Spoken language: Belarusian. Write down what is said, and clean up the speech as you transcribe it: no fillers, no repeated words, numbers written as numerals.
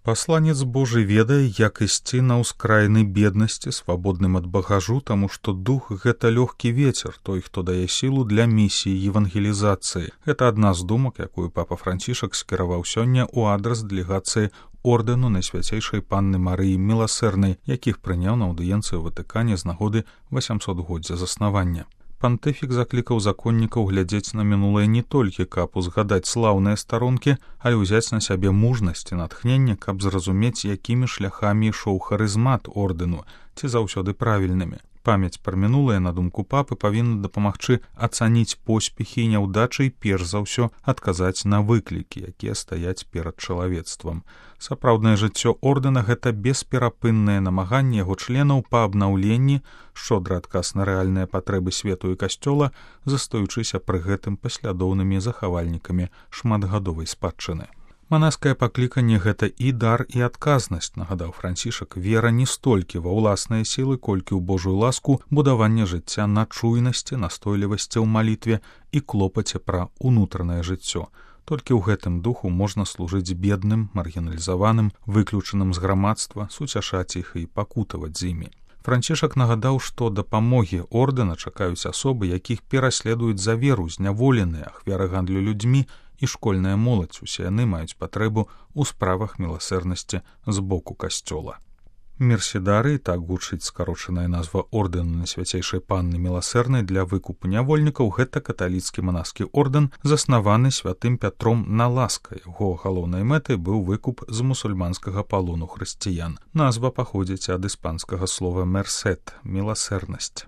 Пасланец Божы ведае, як ісці на ўскраіны беднасці, свабодным ад багажу, таму што дух — гэта лёгкі вецер, той, хто дае сілу для місіі евангелізацыі. Гэта адна з думак, якую папа Францішак скіраваў сёння ў адрас дэлегацыі ордэну Найсвяцейшай Панны Марыі Міласэрнай, якіх прыняў на аўдыенцыі ў Ватыкане з нагоды 800-годдзя заснавання. Пантыфік заклікаў законнікаў глядзець на мінулае не толькі, каб узгадаць слаўныя старонкі, але ўзяць на сябе мужнасць і натхненне, каб зразумець, якімі шляхамі ішоў харызмат ордэну, ці заўсёды правільнымі. Памяць пра мінулае, на думку папы, павінна дапамагчы ацаніць поспехі і няўдачы і перш за ўсё адказаць на выклікі, якія стаяць перад чалавецтвам. Сапраўднае жыццё ордэна — гэта бесперапыннае намаганне яго членаў па абнаўленні, шчодры адказ на рэальныя патрэбы свету і касцёла, застаючыся пры гэтым паслядоўнымі захавальнікамі шматгадовай спадчыны. Манаскае пакліканне — гэта і дар, і адказнасць, нагадаў Францішак. Вера не столькі ва ўласныя сілы, колькі ў Божую ласку, будаванне жыцця на чуйнасці, настойлівасці ў малітве і клопаце пра ўнутранае жыццё. Толькі ў гэтым духу можна служыць бедным, маргіналізаваным, выключаным з грамадства, суцяшаць іх і пакутаваць з імі. Францішак нагадаў, што дапамогі ордэна чакаюць асобы, якіх пераследуюць за веру, зняволеныя, ахвяры гандлю людзьмі і школьная моладзь. Усе яны маюць патрэбу ў справах міласэрнасці з боку касцёла. Мерседары, так гучыць скарочаная назва ордэну Найсвяцейшай Панны Міласэрнай для выкупу нявольнікаў, гэта каталіцкі манаскі ордэн, заснаваны святым Пятром на Ласка. Яго галоўнай мэтай быў выкуп з мусульманскага палону хрысціян. Назва паходзіць ад іспанскага слова «мерсет» — міласэрнасць.